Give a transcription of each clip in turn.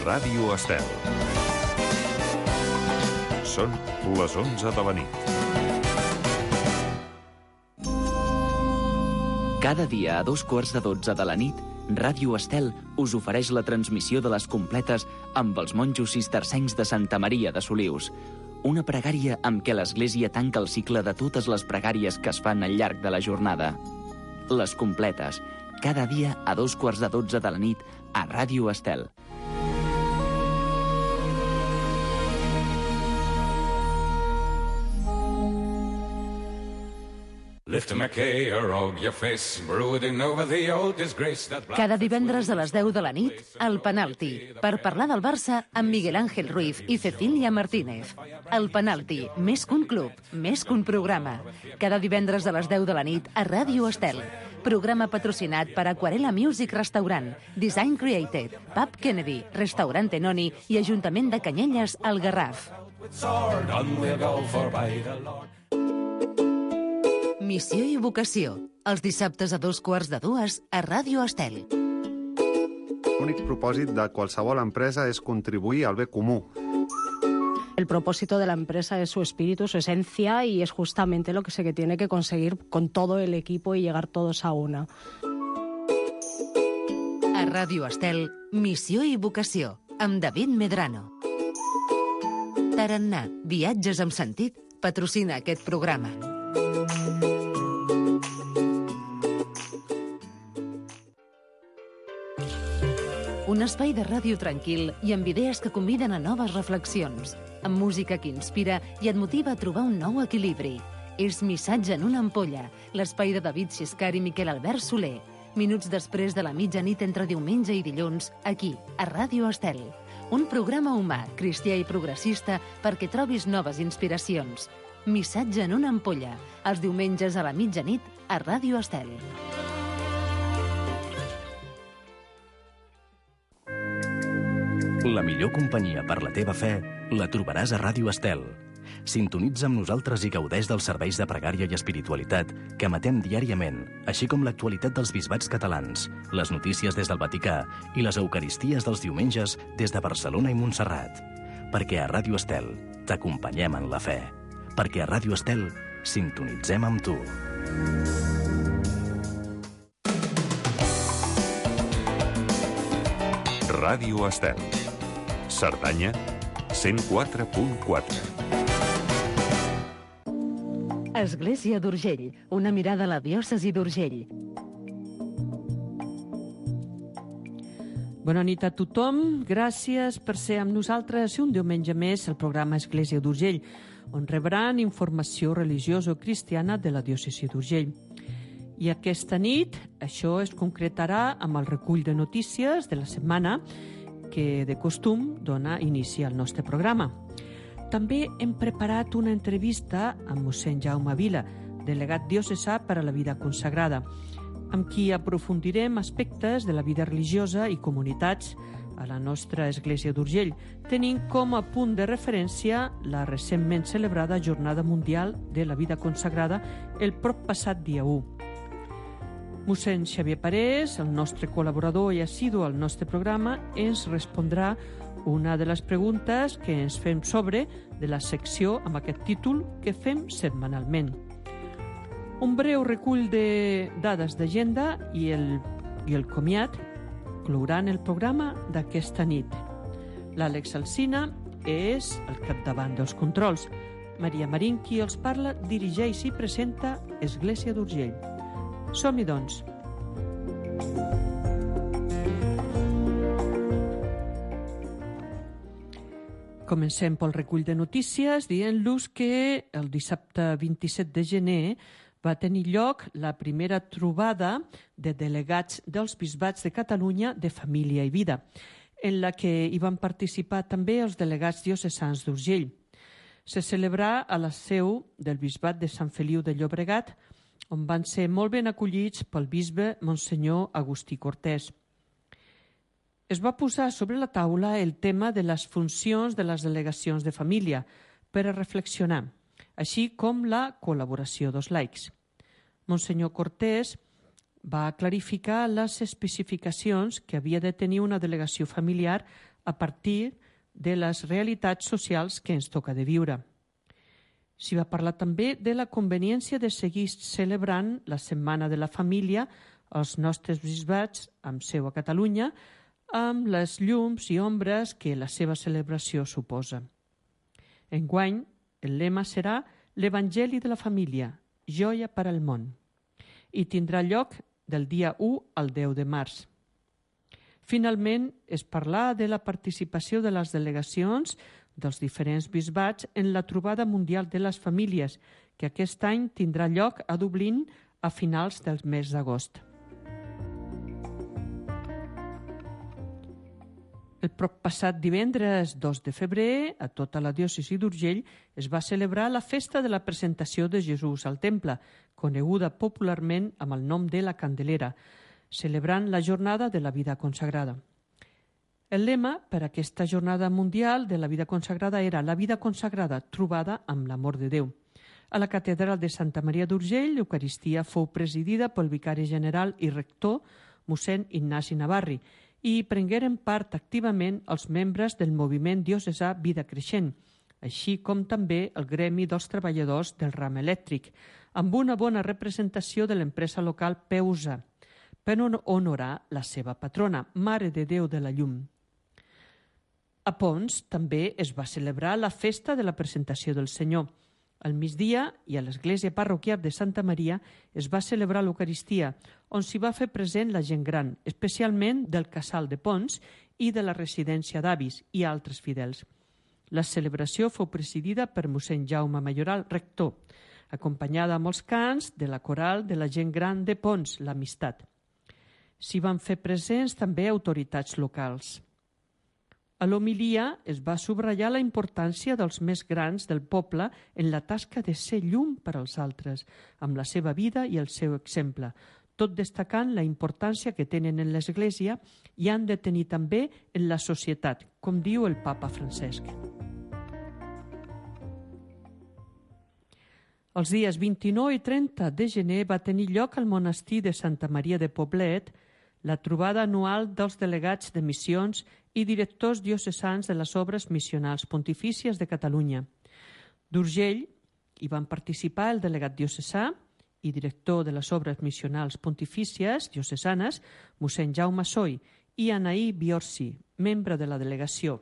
Ràdio Estel. Són les 11 de la nit. Cada dia a 2:15 de la nit, Ràdio Estel us ofereix la transmissió de les completes amb els monjos cistercencs de Santa Maria de Solius. Una pregària amb què l'Església tanca el cicle de totes les pregàries que es fan al llarg de la jornada. Les completes, cada dia a 2:15 de la nit a Ràdio Estel. Cada divendres a les 10 de la nit, El Penalti, per parlar del Barça amb Miguel Ángel Ruiz i Cecilia Martínez. El Penalti, més que un club, més que un programa. Cada divendres a les 10 de la nit a Ràdio Estel. Programa patrocinat per Aquarela Music Restaurant, Design Created, Pub Kennedy, Restaurant Tenoni i Ajuntament de Canyelles, al Garraf. Missió i vocació, els dissabtes a 2:15 a Ràdio Estel. L'únic propòsit de qualsevol empresa és contribuir al bé comú. El propósito de la empresa es su espíritu, su esencia, y es justamente lo que se tiene que conseguir con todo el equipo y llegar todos a una. A Ràdio Estel, Missió i vocació, amb David Medrano. Tarannà, viatges amb sentit, patrocina aquest programa. Un espai de ràdio tranquil i amb idees que conviden a noves reflexions, amb música que inspira i et motiva a trobar un nou equilibri. És Missatge en una ampolla, l'espai de David Xiscar i Miquel Albert Soler. Minuts després de la mitjanit entre diumenge i dilluns, aquí, a Ràdio Estel. Un programa humà, cristià i progressista perquè trobis noves inspiracions. Missatge en una ampolla, els diumenges a la mitjanit a Ràdio Estel. La millor companyia per la teva fe la trobaràs a Ràdio Estel. Sintonitza amb nosaltres i gaudeix dels serveis de pregària i espiritualitat que emetem diàriament, així com l'actualitat dels bisbats catalans, les notícies des del Vaticà i les eucaristies dels diumenges des de Barcelona i Montserrat. Perquè a Ràdio Estel t'acompanyem en la fe. Perquè a Ràdio Estel sintonitzem amb tu. Ràdio Estel. Cerdanya, 104.4. Església d'Urgell, una mirada a la diòcesi d'Urgell. Bona nit a tothom. Gràcies per ser amb nosaltres un diumenge més al programa Església d'Urgell, on rebran informació religiosa o cristiana de la diòcesi d'Urgell. I aquesta nit això es concretarà amb el recull de notícies de la setmana que de costum dona inici al nostre programa. També hem preparat una entrevista amb mossèn Jaume Vila, delegat diocesà per a la vida consagrada, amb qui aprofundirem aspectes de la vida religiosa i comunitats a la nostra Església d'Urgell, tenint com a punt de referència la recentment celebrada Jornada Mundial de la Vida Consagrada el proppassat dia 1. Mossèn Xavier Parés, el nostre col·laborador i assidu al nostre programa, ens respondrà una de les preguntes que ens fem sobre de la secció amb aquest títol que fem setmanalment. Un breu recull de dades d'agenda i el comiat clouran el programa d'aquesta nit. L'Àlex Alsina és al capdavant dels controls. Maria Marín, qui els parla, dirigeix i presenta Església d'Urgell. Som-hi, doncs. Comencem pel recull de notícies dient-los que el dissabte 27 de gener va tenir lloc la primera trobada de delegats dels bisbats de Catalunya de Família i Vida, en la que hi van participar també els delegats diocesans d'Urgell. Se celebrà a la seu del bisbat de Sant Feliu de Llobregat, on van ser molt ben acollits pel bisbe Monsenyor Agustí Cortés. Es va posar sobre la taula el tema de les funcions de les delegacions de família per a reflexionar, així com la col·laboració dels laics. Monsenyor Cortés va clarificar les especificacions que havia de tenir una delegació familiar a partir de les realitats socials que ens toca de viure. S'hi va parlar també de la conveniència de seguir celebrant la Setmana de la Família als nostres bisbats amb seu a Catalunya, amb les llums i ombres que la seva celebració suposa. Enguany, el lema serà l'Evangeli de la Família, joia per al món, i tindrà lloc del dia 1 al 10 de març. Finalment, es parla de la participació de les delegacions dels diferents bisbats en la Trobada Mundial de les Famílies, que aquest any tindrà lloc a Dublín a finals del mes d'agost. El passat divendres 2 de febrer, a tota la diòcesi d'Urgell, es va celebrar la festa de la presentació de Jesús al temple, coneguda popularment amb el nom de la Candelera, celebrant la jornada de la vida consagrada. El lema per a aquesta jornada mundial de la vida consagrada era la vida consagrada trobada amb l'amor de Déu. A la catedral de Santa Maria d'Urgell, l'Eucaristia fou presidida pel vicari general i rector, mossèn Ignasi Navarri, i prengueren part activament els membres del moviment diocesà Vida Creixent, així com també el gremi dels treballadors del ram elèctric, amb una bona representació de l'empresa local Peusa, per honorar la seva patrona, Mare de Déu de la Llum. A Pons també es va celebrar la festa de la presentació del Senyor. Al migdia i a l'església parroquial de Santa Maria es va celebrar l'Eucaristia, on s'hi va fer present la gent gran, especialment del Casal de Pons i de la residència d'avis i altres fidels. La celebració fou presidida per mossèn Jaume Mayoral, rector, acompanyada amb els cants de la coral de la gent gran de Pons, l'Amistat. S'hi van fer presents també autoritats locals. A l'homilia es va subratllar la importància dels més grans del poble en la tasca de ser llum per als altres, amb la seva vida i el seu exemple, tot destacant la importància que tenen en l'Església i han de tenir també en la societat, com diu el papa Francesc. Els dies 29 i 30 de gener va tenir lloc al monestir de Santa Maria de Poblet la trobada anual dels delegats de missions i directors diocesans de les obres missionals pontifícies de Catalunya. D'Urgell hi van participar el delegat diocesà i director de les obres missionals pontifícies diocesanes, mossèn Jaume Soy, i Anaí Biorsi, membre de la delegació.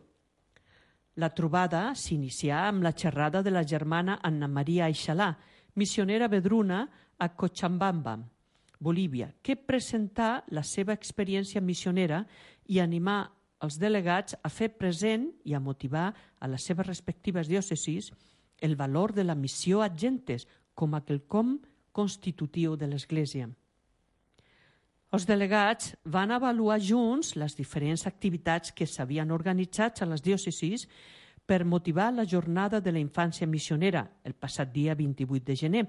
La trobada s'inicià amb la xerrada de la germana Anna Maria Aixalà, missionera vedruna a Cochabamba, Bolívia, que presentà la seva experiència missionera i animà els delegats a fer present i a motivar a les seves respectives diòcesis el valor de la missió ad gentes com a quelcom constitutiu de l'Església. Els delegats van avaluar junts les diferents activitats que s'havien organitzat a les diòcesis per motivar la jornada de la infància missionera el passat dia 28 de gener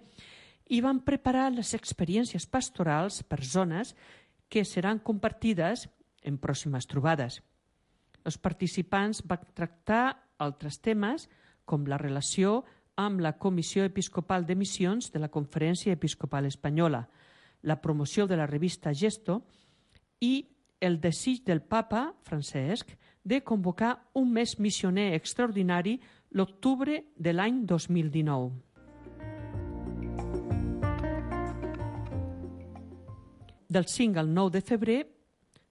i van preparar les experiències pastorals per zones que seran compartides en pròximes trobades. Els participants van tractar altres temes com la relació amb la Comissió Episcopal de Missions de la Conferència Episcopal Espanyola, la promoció de la revista Gesto i el desig del papa Francesc de convocar un mes missioner extraordinari l'octubre de l'any 2019. Del 5 al 9 de febrer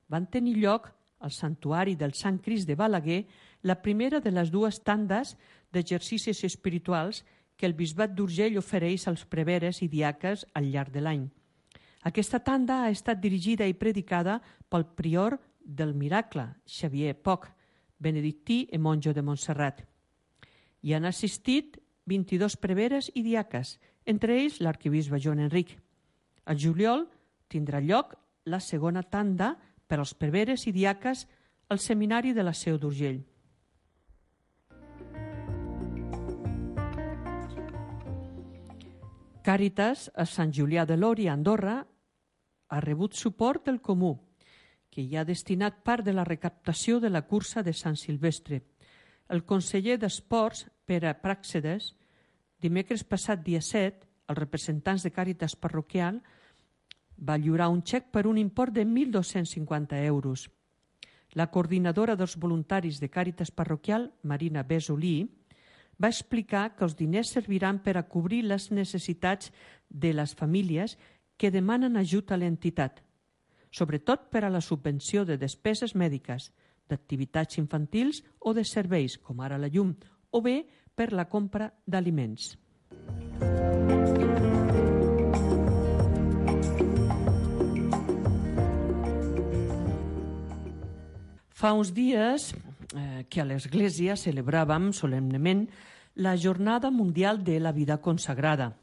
van tenir lloc al Santuari del Sant Crist de Balaguer la primera de les dues tandes d'exercicis espirituals que el Bisbat d'Urgell ofereix als preveres i diaques al llarg de l'any. Aquesta tanda ha estat dirigida i predicada pel prior del Miracle, Xavier Poch, benedictí i monjo de Montserrat. Hi han assistit 22 preveres i diaques, entre ells l'arquebisbe Joan Enric. Al juliol tindrà lloc la segona tanda per als preveres i diaques al seminari de la Seu d'Urgell. Càritas a Sant Julià de Lori, a Andorra, ha rebut suport del Comú, que hi ha destinat part de la recaptació de la cursa de Sant Silvestre. El conseller d'Esports, Pere Pràxedes, dimecres passat dia 7, als representants de Càritas parroquial, va lliurar un xec per un import de 1.250 euros. La coordinadora dels voluntaris de Càritas Parroquial, Marina Besolí, va explicar que els diners serviran per a cobrir les necessitats de les famílies que demanen ajut a l'entitat, sobretot per a la subvenció de despeses mèdiques, d'activitats infantils o de serveis, com ara la llum, o bé per la compra d'aliments. Fa uns dies que a l'Església celebràvem solemnement la Jornada Mundial de la Vida Consagrada.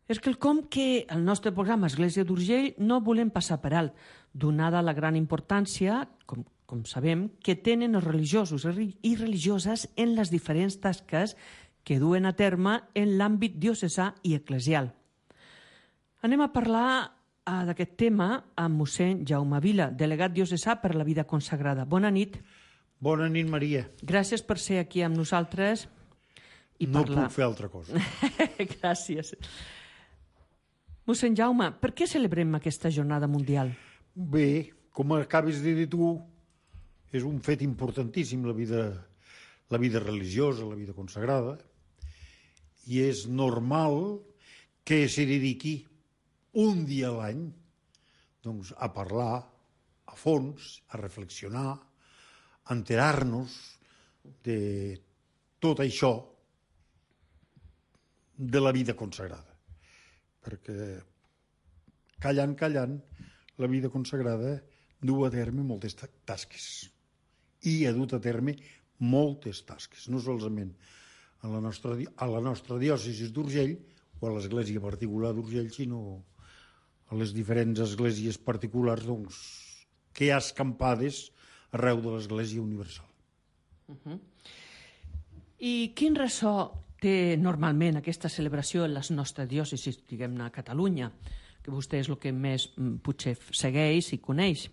És quelcom que el nostre programa Església d'Urgell no volem passar per alt, donada la gran importància, com sabem, que tenen els religiosos i religioses en les diferents tasques que duen a terme en l'àmbit diocesà i eclesial. Anem a parlar d'aquest tema amb mossèn Jaume Vila, delegat diocesà per la vida consagrada. Bona nit. Bona nit, Maria. Gràcies per ser aquí amb nosaltres i no parlar. Puc fer altra cosa. Gràcies. Mossèn Jaume, per què celebrem aquesta jornada mundial? Bé, com acabes de dir tu, és un fet importantíssim la vida religiosa, la vida consagrada, i és normal que s'hi dediqui un dia a l'any doncs, a parlar a fons, a reflexionar, a enterar-nos de tot això de la vida consagrada. Perquè callant, la vida consagrada du a terme moltes tasques i ha dut a terme moltes tasques, no solament a la nostra diòcesi d'Urgell o a l'església particular d'Urgell, sinó a les diferents esglésies particulars doncs, que hi ha escampades arreu de l'església universal. I quin ressò té normalment aquesta celebració en les nostres diòcesis, diguem-ne a Catalunya, que vostè és el que més potser segueix i coneix?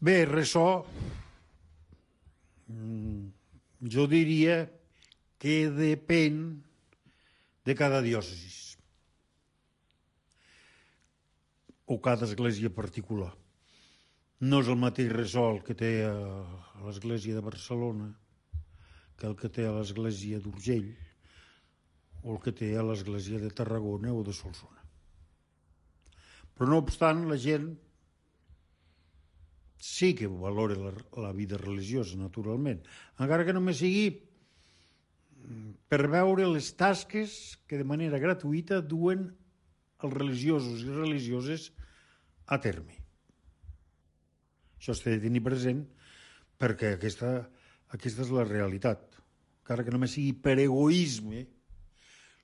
Bé, ressò, jo diria que depèn de cada diòcesi o cada església particular. No és el mateix ressò el que té a l'església de Barcelona que el que té a l'església d'Urgell o el que té a l'església de Tarragona o de Solsona. Però no obstant, la gent sí que valora la vida religiosa, naturalment, encara que només sigui per veure les tasques que de manera gratuïta duen els religiosos i religioses a terme. Això s'ha de tenir present perquè aquesta és la realitat. Encara que només sigui per egoisme,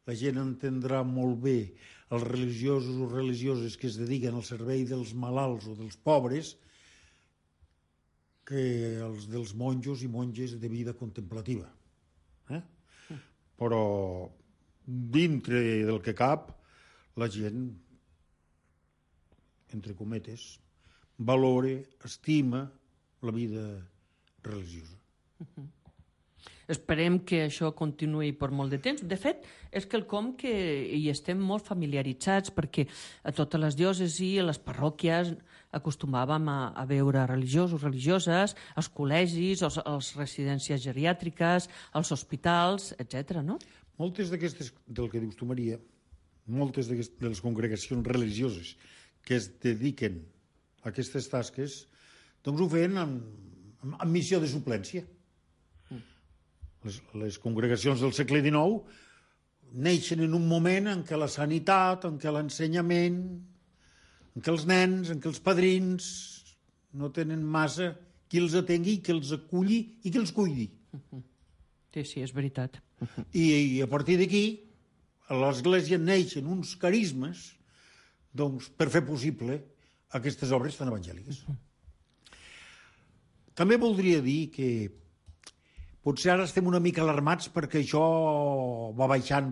la gent entendrà molt bé els religiosos o religioses que es dediquen al servei dels malalts o dels pobres que els dels monjos i monges de vida contemplativa. Però dintre del que cap, la gent, entre cometes, valora, estima la vida religiosa. Esperem que això continuï per molt de temps. De fet, és quelcom que hi estem molt familiaritzats perquè a totes les diòcesis, a les parròquies, acostumàvem a veure religiosos, religioses, als col·legis, a les residències geriàtriques, als hospitals, etc. no? Moltes d'aquestes, del que dius tu, Maria, moltes de les congregacions religioses que es dediquen a aquestes tasques, doncs ho feien amb missió de suplència. Les congregacions del segle XIX neixen en un moment en què la sanitat, en què l'ensenyament, en què els nens, en què els padrins no tenen massa qui els atengui, qui els aculli i qui els cuidi. Sí, és veritat. I a partir d'aquí a l'Església neixen uns carismes doncs, per fer possible aquestes obres tan evangèliques. També voldria dir que potser ara estem una mica alarmats perquè això va baixant.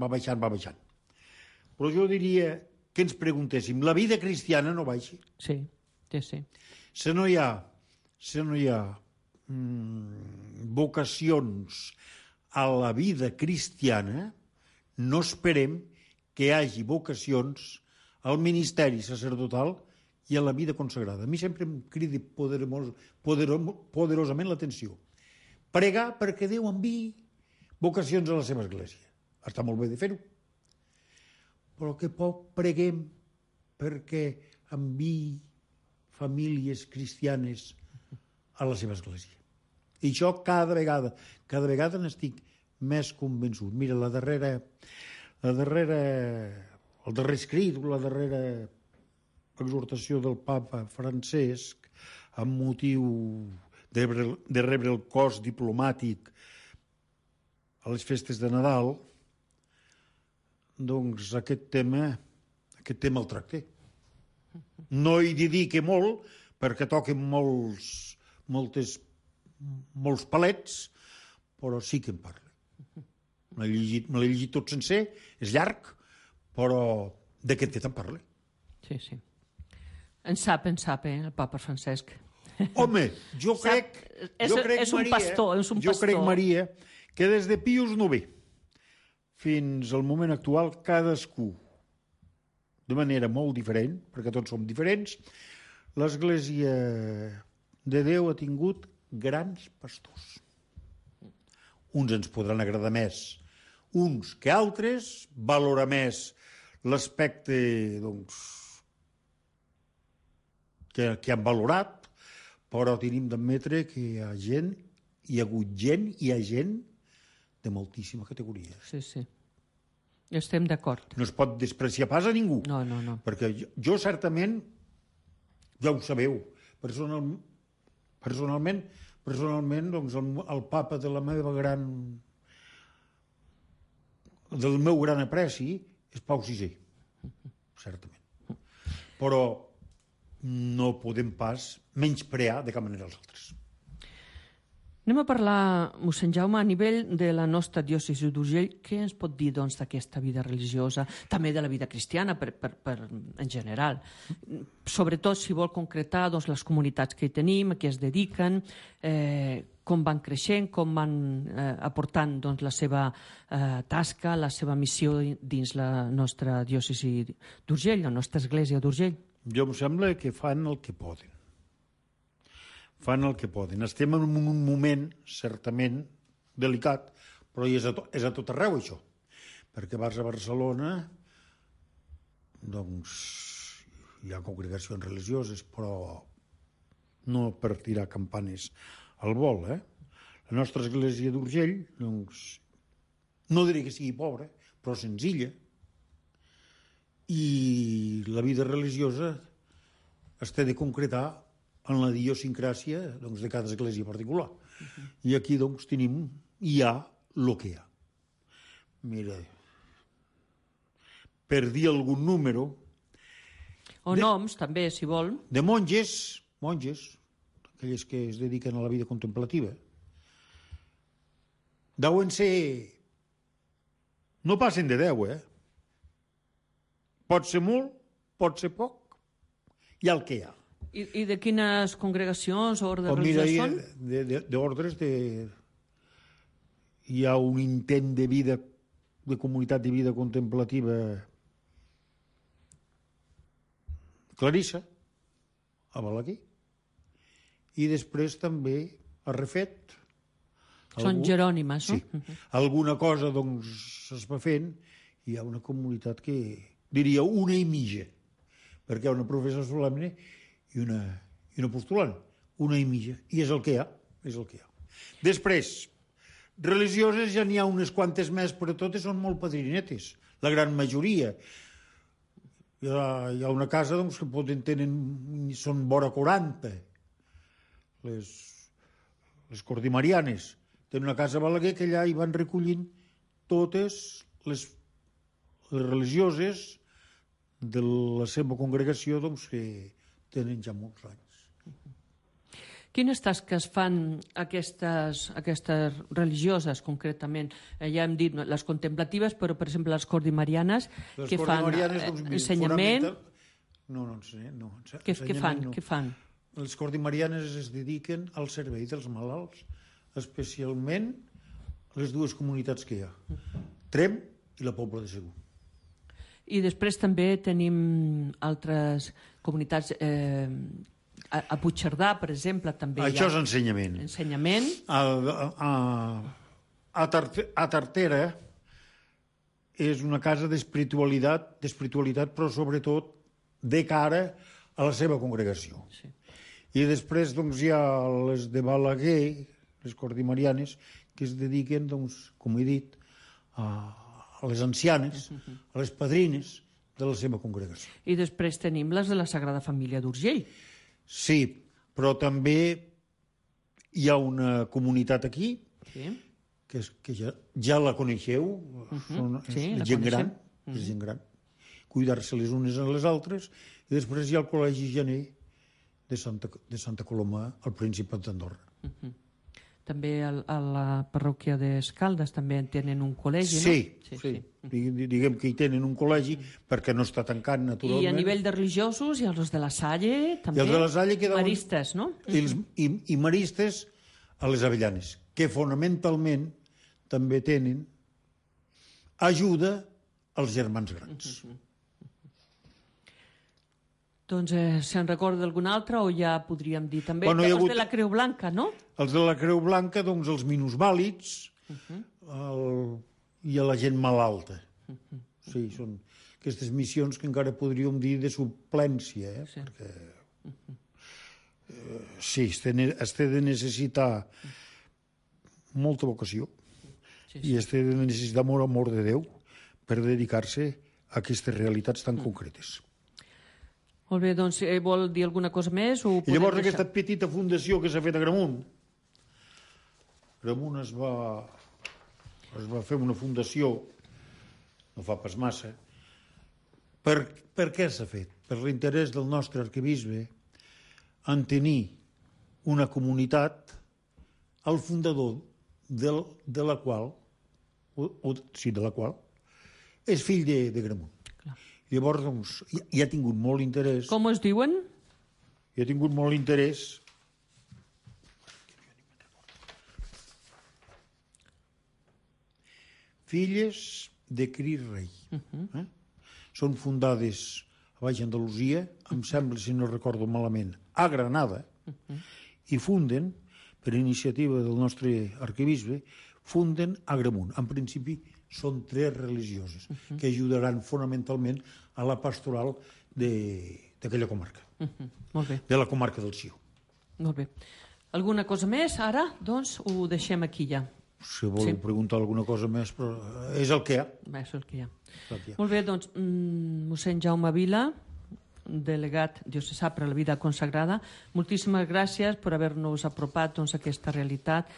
Però jo diria que ens preguntéssim, la vida cristiana no baixa? Sí. Si no hi ha vocacions a la vida cristiana, no esperem que hi hagi vocacions al ministeri sacerdotal i a la vida consagrada. A mi sempre em crida poderosament l'atenció. Pregar perquè Déu enviï vocacions a la seva església. Està molt bé de fer-ho. Però que poc preguem perquè enviï famílies cristianes a la seva església. I això cada vegada n'estic més convençut. Mira, el darrer escrit, la darrera exhortació del papa Francesc amb motiu de rebre el cos diplomàtic a les festes de Nadal, doncs aquest tema el tracté. No hi dedique molt, perquè toquen molts palets, però sí que en parla. Me l'he llegit tot sencer, és llarg, però d'aquest fet en parla. Sí, sí. En sap, el papa Francesc. Home, jo crec, Maria, que des de Pius IX fins al moment actual, cadascú, de manera molt diferent, perquè tots som diferents, l'Església de Déu ha tingut grans pastors. Uns ens podran agradar més, uns que altres, valorar més l'aspecte, doncs, que han valorat, però tenim d'admetre que hi ha gent de moltíssima categoria. Sí, sí. Estem d'acord. No es pot despreciar pas a ningú. No. Perquè jo certament, ja ho sabeu, personalment, doncs el papa del meu gran apreci és Pau VI, certament. Però no podem pas menysprear de cap manera els altres. Anem a parlar, mossèn Jaume, a nivell de la nostra diòcesi d'Urgell, què ens pot dir doncs, d'aquesta vida religiosa, també de la vida cristiana en general? Sobretot, si vol concretar doncs, les comunitats que hi tenim, a què es dediquen, com van creixent, com van aportant doncs, la seva tasca, la seva missió dins la nostra diòcesi d'Urgell, la nostra església d'Urgell. Jo em sembla que fan el que poden. Estem en un moment, certament, delicat, però és a tot arreu, això. Perquè vas a Barcelona, doncs, hi ha congregacions religioses, però no per tirar campanes al vol, La nostra església d'Urgell, doncs, no diré que sigui pobra, però senzilla, i la vida religiosa es té de concretar en la idiosincràsia doncs, de cada església particular. I aquí doncs, hi ha el que hi ha. Mira, per dir algun número... O noms, també, si vol. De monges, aquelles que es dediquen a la vida contemplativa, deuen ser... No passen de 10, Pot ser molt, pot ser poc, hi ha el que hi ha. I de quines congregacions o ordres religioses són? D'ordres hi ha un intent de vida, de comunitat de vida contemplativa Clarissa, a Balaguer, i després també a Refet. Són jerònimes, no? Sí. Alguna cosa, doncs, es va fent, i hi ha una comunitat que, diria, una i mitja, perquè hi ha una professora solemne i una postulant, una i mitja, i és el que hi ha, Després, religioses ja n'hi ha unes quantes més, però totes són molt padrinetes, la gran majoria. Hi ha una casa doncs, que són vora 40, les cordimarianes. Tenen una casa a Balaguer que allà hi van recollint totes les religioses de la seva congregació doncs, que tenen ja molts anys. Quines tasques fan aquestes religioses, concretament? Ja hem dit les contemplatives, però, per exemple, les cordimarianes, què fan? Ensenyament? No. Què fan? Les cordimarianes es dediquen al servei dels malalts, especialment les dues comunitats que hi ha, Tremp i la Pobla de Segur. I després també tenim altres comunitats, a Puigcerdà, per exemple, també Això és ensenyament. Ensenyament. A Tartera és una casa d'espiritualitat, però sobretot de cara a la seva congregació. Sí. I després doncs, hi ha les de Balaguer, les cordimarianes, que es dediquen, doncs, com he dit, a les ancianes, a les padrines de la seva congregació. I després tenim les de la Sagrada Família d'Urgell. Sí, però també hi ha una comunitat aquí, que ja la coneixeu, és gent gran, és gent gran, cuidar-se les unes a les altres, i després hi ha el Col·legi Gener de Santa Coloma, al Principat d'Andorra. També a la parròquia d'Escaldes també tenen un col·legi, no? Sí. Diguem que hi tenen un col·legi perquè no està tancat, naturalment. I a nivell de religiosos, i els de la Salle, també. I els de la Salle quedaven... Maristes, no? I maristes a les Avellanes, que fonamentalment també tenen ajuda als germans grans. Doncs se'n recorda d'algun altre o ja podríem dir també els de la Creu Blanca, no? Els de la Creu Blanca, doncs els minusvàlids i a la gent malalta. Sí, són aquestes missions que encara podríem dir de suplència, perquè sí, es té de necessitar molta vocació i es té de necessitar molt amor de Déu per dedicar-se a aquestes realitats tan concretes. Molt bé, doncs vol dir alguna cosa més? I llavors aquesta petita fundació que s'ha fet a Gramunt es va fer una fundació, no fa pas massa. Per què s'ha fet? Per l'interès del nostre arquebisbe en tenir una comunitat, el fundador de la qual és fill de Gramunt. Llavors, doncs, hi ha tingut molt interès... Com es diuen? Hi ha tingut molt interès... Filles de Cris Rei. Són fundades a Baix Andalusia, em sembla, si no recordo malament, a Granada, i funden, per iniciativa del nostre arquebisbe, funden a Gramunt. En principi, són 3 religioses que ajudaran fonamentalment a la pastoral d'aquella comarca, de la comarca del Sió. Molt bé. Alguna cosa més? Ara, doncs, ho deixem aquí ja. Si voleu preguntar alguna cosa més, però és el que hi ha. És el que hi ha. Molt bé, doncs, mossèn Jaume Vila, delegat diocesà per a la vida consagrada, moltíssimes gràcies per haver-nos apropat a aquesta realitat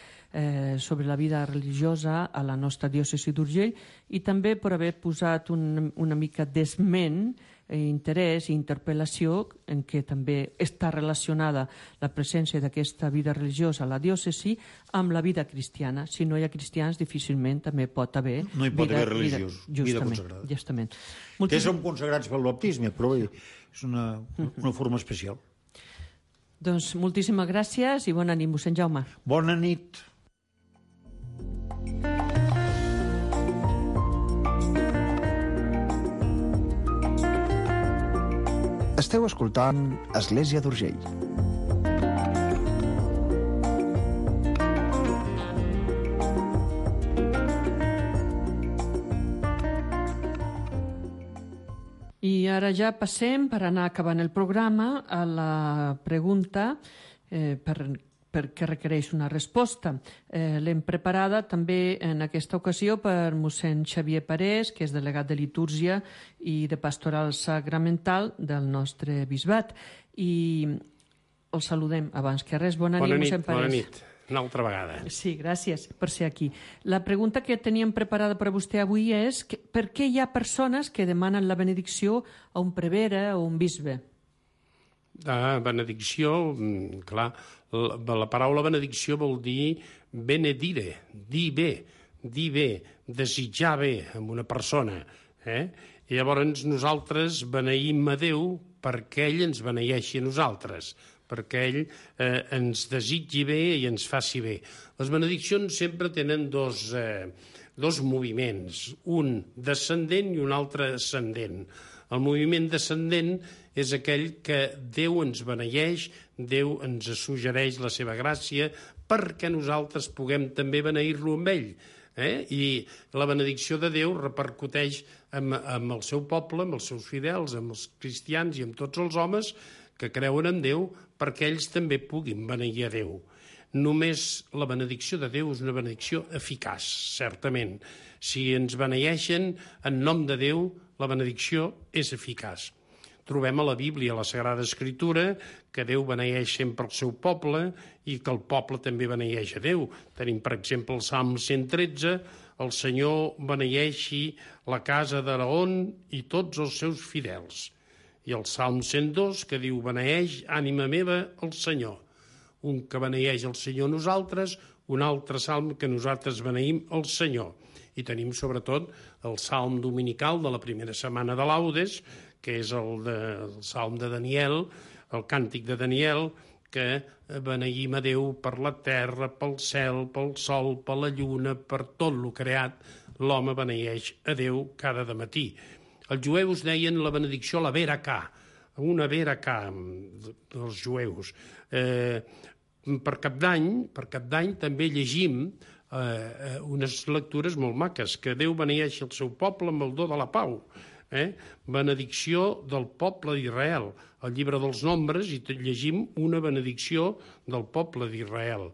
sobre la vida religiosa a la nostra diòcesi d'Urgell i també per haver posat una mica d'esment, interès i interpel·lació en què també està relacionada la presència d'aquesta vida religiosa a la diòcesi amb la vida cristiana. Si no hi ha cristians, difícilment també pot haver... No hi pot haver religiosos, vida consagrada. Justament. Que som consagrats pel baptisme, però és una forma especial. Doncs moltíssimes gràcies i bona nit, mossèn Jaume. Bona nit. Esteu escoltant Església d'Urgell. I ara ja passem, per anar acabant el programa, a la pregunta perquè requereix una resposta. L'hem preparada també en aquesta ocasió per mossèn Xavier Parés, que és delegat de litúrgia i de pastoral sacramental del nostre bisbat. I el saludem abans que res. Bona nit, mossèn Parés. Bona nit. Una altra vegada. Sí, gràcies per ser aquí. La pregunta que teníem preparada per a vostè avui és per què hi ha persones que demanen la benedicció a un prevere o un bisbe? Benedicció, clar, la paraula benedicció vol dir benedire, dir bé, desitjar bé amb una persona. I llavors nosaltres beneïm a Déu perquè ell ens beneeixi a nosaltres, perquè ell ens desitgi bé i ens faci bé. Les benediccions sempre tenen dos dos moviments, un descendent i un altre ascendent. El moviment descendent és aquell que Déu ens beneeix, Déu ens suggereix la seva gràcia perquè nosaltres puguem també beneir-lo amb ell. I la benedicció de Déu repercuteix amb el seu poble, amb els seus fidels, amb els cristians i amb tots els homes que creuen en Déu perquè ells també puguin beneir a Déu. Només la benedicció de Déu és una benedicció eficaç, certament. Si ens beneeixen en nom de Déu, la benedicció és eficaç. Trobem a la Bíblia, a la Sagrada Escritura, que Déu beneeix sempre el seu poble i que el poble també beneeix a Déu. Tenim, per exemple, el Salm 113, el Senyor beneeixi la casa d'Aaron i tots els seus fidels. I el Salm 102, que diu, beneeix, ànima meva, el Senyor. Un que beneeix el Senyor nosaltres, un altre salm que nosaltres beneïm el Senyor. I tenim, sobretot, el salm dominical de la primera setmana de Laudes, que és el salm de Daniel, el càntic de Daniel, que beneïm a Déu per la terra, pel cel, pel sol, per la lluna, per tot lo creat. L'home beneeix a Déu cada dematí. Els jueus deien la benedicció la veracà, una veracà dels jueus. Per Cap d'Any també llegim unes lectures molt maques, que Déu beneeixi el seu poble amb el do de la pau. Benedicció del poble d'Israel. Al llibre dels Nombres hi llegim una benedicció del poble d'Israel.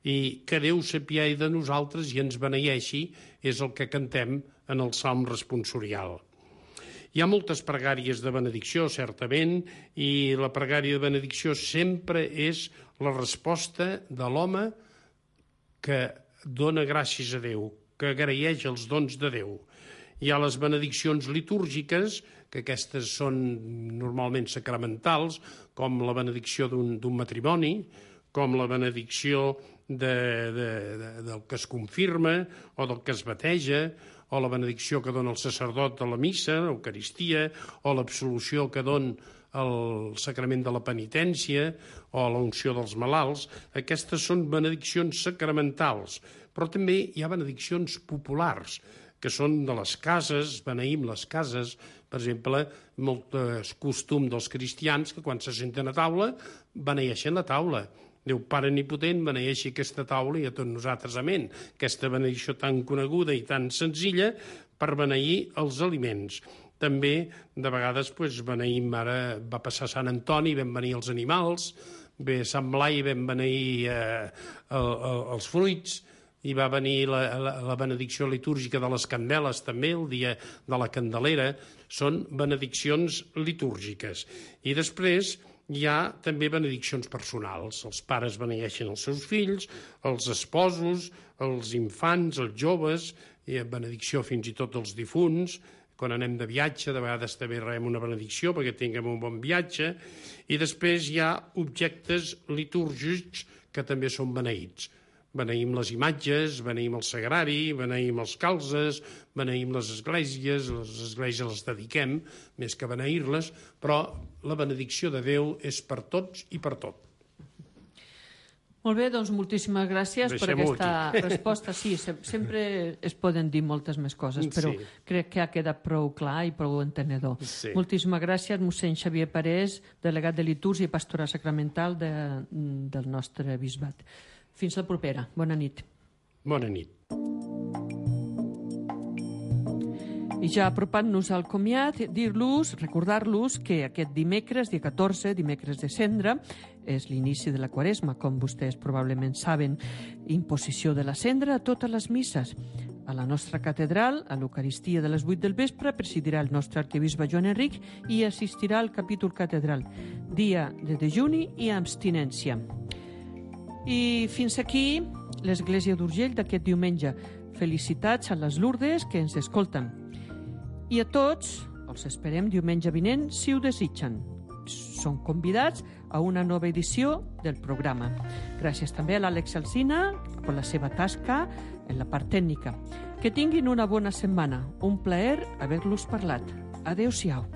I que Déu s'apiadi de nosaltres i ens beneeixi és el que cantem en el Salm responsorial. Hi ha moltes pregàries de benedicció, certament, i la pregària de benedicció sempre és la resposta de l'home que dona gràcies a Déu, que agraeix els dons de Déu. Hi ha les benediccions litúrgiques, que aquestes són normalment sacramentals, com la benedicció d'un matrimoni, com la benedicció del que es confirma o del que es bateja, o la benedicció que dona el sacerdot de la missa, l'Eucaristia, o l'absolució que dona el sacrament de la penitència o la unció dels malalts. Aquestes són benediccions sacramentals, però també hi ha benediccions populars, que són de les cases, beneïm les cases. Per exemple, molt costum dels cristians que quan se senten a taula beneeixen la taula. Déu Pare Omnipotent beneeixi aquesta taula i a tots nosaltres amén. Aquesta benedicció tan coneguda i tan senzilla per beneir els aliments. També, de vegades, beneïm, ara va passar Sant Antoni, vam beneir els animals, ve Sant Blai, vam beneir els fruits, i va venir la benedicció litúrgica de les candeles també, el dia de la Candelera. Són benediccions litúrgiques. I després hi ha també benediccions personals. Els pares beneeixen els seus fills, els esposos, els infants, els joves, i benedicció fins i tot dels difunts. Quan anem de viatge, de vegades també rebem una benedicció perquè tinguem un bon viatge. I després hi ha objectes litúrgics que també són beneïts. Beneïm les imatges, beneïm el sagrari, beneïm els calzes, beneïm les esglésies les dediquem, més que beneir-les, però la benedicció de Déu és per tots i per tot. Molt bé, doncs moltíssimes gràcies per aquesta resposta. Sí, sempre es poden dir moltes més coses, però crec que ha quedat prou clar i prou entenedor. Moltíssimes gràcies, mossèn Xavier Parés, delegat de Litúrgia i Pastoral Sacramental del nostre bisbat. Fins la propera. Bona nit. Bona nit. I ja apropant-nos al comiat, recordar-los que aquest dimecres, dia 14, dimecres de Cendra, és l'inici de la Quaresma, com vostès probablement saben. Imposició de la cendra a totes les misses. A la nostra catedral, a l'Eucaristia de les 8 del vespre, presidirà el nostre arquebisbe Joan Enric i assistirà al capítol catedral. Dia de dejuni i abstinència. I fins aquí l'Església d'Urgell d'aquest diumenge. Felicitats a les Lourdes que ens escolten. I a tots els esperem diumenge vinent, si ho desitgen. Són convidats a una nova edició del programa. Gràcies també a l'Àlex Alsina per la seva tasca en la part tècnica. Que tinguin una bona setmana. Un plaer haver-los parlat. Adéu-siau.